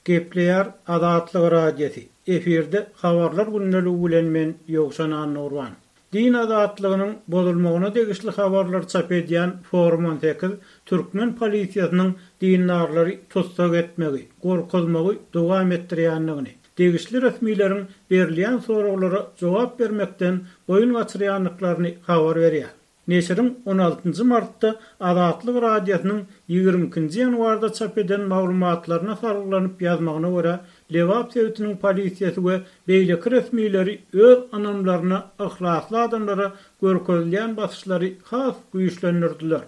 Gepleýär Azatlyk Radiosy, efirde Habarlar gündeligi bilen men Ýowşan Annagurban. Din azatlygynyň bozulmagyna degişli habarlary çap edýän Forum 18 türkmen polisiýasynyň dindarlary tussag etmegi, gorkuzmagy dowam etdirýändigini, degişli resmileriň berilýän soraglara jogap bermekden boýun gaçyrýandyklaryny habar berýär. Neşiriň on altynjy martda Azatlyk Radiosynyň ýigrimi ikinji ýanwarda çap eden maglumatlaryna salgylanyp ýazmagyna görä, Lebap sebitiniň polisiýasy we beýleki resmileri öz ynamlaryna yhlasly adamlara görkezilýän basyşlary has güýçlendirdiler.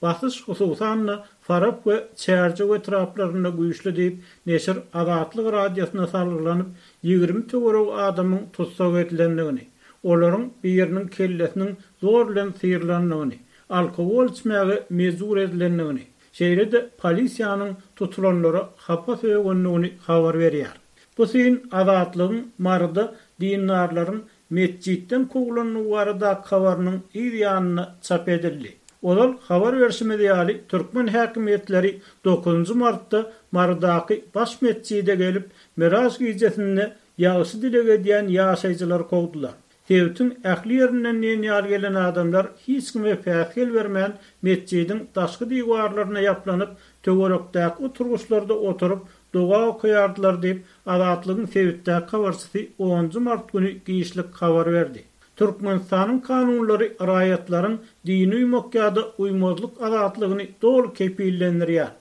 Basyş, hususan-da, Farap we Çärjew etraplarynda güýçli diýip, neşir Azatlyk Radiosyna salgylanyp, 20 töweregi adamyň tussag edilendigini, olaryň biriniň kellesiniň zor bilen syrylandygyny, alkogol içmäge mejbur edilendigini, şeýle-de polisiýanyň tutulanlara hapa sögendigini habar berýär. Bu syn Azatlygyň Maryda dindarlaryň metjitden kowlandygy baradaky habarynyň yz ýanynda çap edildi. Ozal habar berşimiz ýaly, türkmen häkimiýetleri dokuzynjy martda Marydaky baş metjide gelip, Miraj gijesinde ýagşy dileg edýän ýaşaýjylary kowdular. Sebitiň ähli ýerinden diýen ýaly gelen adamlar hiç kime päsgel bermän, metjidiň daşky diwarlaryna ýaplanyp, töwerekdäki oturgyçlarda oturyp, doga okaýardylar diýip, Azatlygyň sebitdäki habarçysy onunjy mart güni giçlik habar berdi. Türkmenistanyň kanunlary raýatlaryň dine uýmak ýa-da uýmazlyk azatlygyny doly kepillendirýär.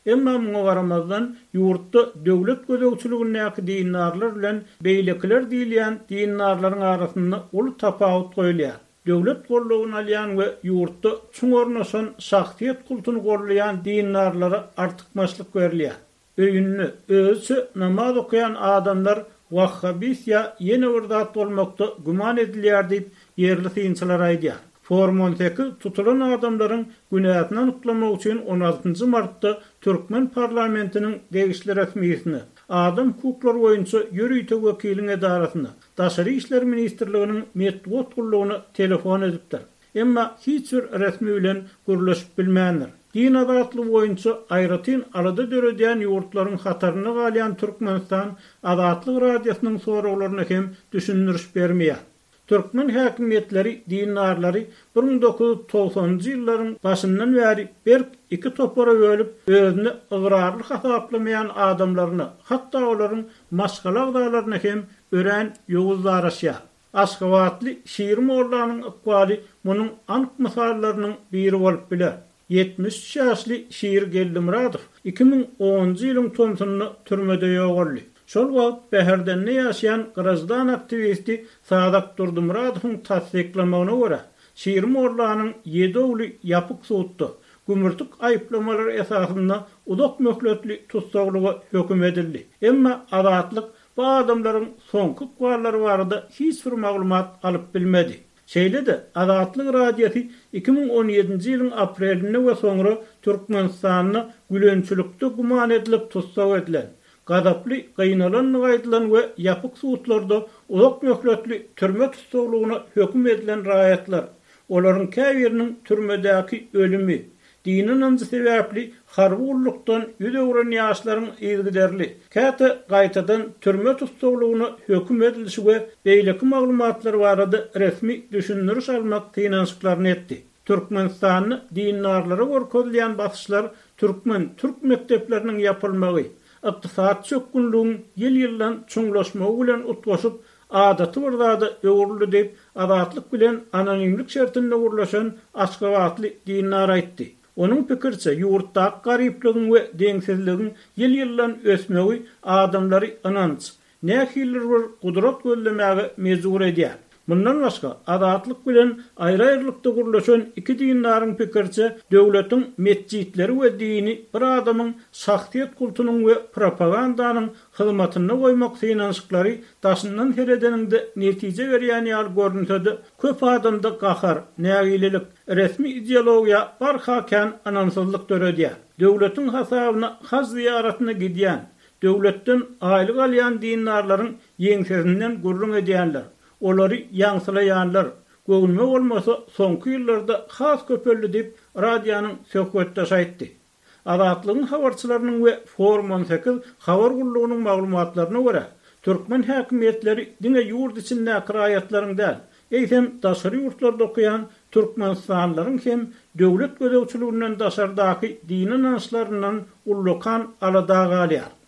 Emma muňa garamazdan, ýurtda döwlet gözegçiligindäki dindarlar bilen beýlekiler diýilýän dindarlaryň arasynda uly tapawut goýulýar. Döwlet goldawyny alýan we ýurtda çuň ornaşan şahsyýet kultuny goldaýan dindarlara artykmaçlyk berilýär. Öýünde özüçe namaz okaýan adamlar wahhabist ýa ýene bir zat bolmakda güman edilýär diýip, ýerli synçylar aýdýar. Forum 18 tutulan adamlaryň günäsini anyklamak üçin on altynjy martda türkmen parlamentiniň degişli resmisine, adam hukuklary boýunça ýörite wekiliň edarasyna, Daşary işler ministrliginiň metbugat gullugyna telefon edipdir. Emma hiç bir resmi bilen gürleşip bilmändir. Din azatlygy boýunça aýratyn alada döredýän ýurtlaryň hatarynda galýan Türkmenistan Azatlyk Radiosynyň soraglaryna hem düşündiriş bermeýär. Türkmen häkimiýetleri dindarlary 1990-njy ýyllaryň başyndan bäri berk iki topara bölüp, özüne ygrarly hasaplamaýan adamlaryna, hatda olaryň maşgala agzalaryna hem örän ýowuz daraşýar. Aşgabatly Şiri mollanyň ykbaly munuň anyk mysallarynyň biri bolup biler. 73 ýaşly Şiri Geldimyradow 2010-njy ýylyň tomsunda türmede ýogaldy. Şol wagt Bäherdende ýaşaýan graždan aktiwisti Sazak Durdymyradowyň tassyklamagyna görä, Şiri mollanyň ýedi ogly ýapyk sudda, gümürtik aýyplamalar esasynda uzak möhletli tussaglyga höküm edildi. Emma Azatlyk Bu adamlaryň soňky ykballary barada hiç bir maglumat alyp bilmedi. Şeýle-de, Azatlyk Radiosy 2017-nji ýylyň aprelinde we soňra Türkmenistanda gülençilikde güman edilip tussag edilen, gazaply gynalandygy aýdylan we ýapyk sudlarda uzak möhletli türme tussaglygyna höküm edilen raýatlar, olaryň käbiriniň türmedäki ölümi, Dini ynanjy sebäpli harby gullukdan ýüz öwren ýaşlaryň yzygiderli, käte gaýtadan türme tussaglygyna höküm edilişi we beýleki maglumatlar barada resmi düşündiriş almak synanyşyklaryny etdi. Türkmenistanda dindarlara görkezilýän basyşlar türkmen-türk mekdepleriniň ýapylmagy, ykdysady çökgünligiň ýyl-ýyldan çuňlaşmagy bilen utgaşyp, adaty bir zada öwrüldi diýip, Azatlyk bilen anonimlik şertinde gürleşen aşgabatly dindar aýtdy. Onuň pikiriçe, ýurtdaky garyplygyň we deňsizligiň ýyl-ýyldan ösmegi adamlary ynanç, nähilidir bir gudrat gözlemäge mejbur edýär. Mundan başga, Azatlyk bilen aýry-aýrylykda gürleşen iki dindaryň pikiriçe, döwletiň metjitleri we dini bir adamyň şahsyýet kultunyň we propagandanyň hyzmatynda goýmak synanyşyklary daşyndan seredeniňde netije berýän ýaly görünse-de, köp adamda gahar, nägilelik, resmi ideologiýa barha kän ynamsyzlyk döredýär. Döwletiň hasabyna haj zyýaratyna gidýän, döwletden aýlyk alýan dindarlaryň ýeňsesinden gürrüň edýänler, olary ýaňsylaýanlar, göwnüme bolmasa, soňky ýyllarda has köpeldi diýip, radionyň söhbetdeşi aýtdy. Azatlygyň habarçylarynyň we Forum 18 habar gullugynyň maglumatlaryna görä, türkmen häkimiýetleri diňe ýurt içindäki raýatlaryň däl, eýsem daşary ýurtlarda okaýan türkmenistanlylaryň hem döwlet gözegçiliginden daşardaky dini ynançlaryndan ullakan alada galýar.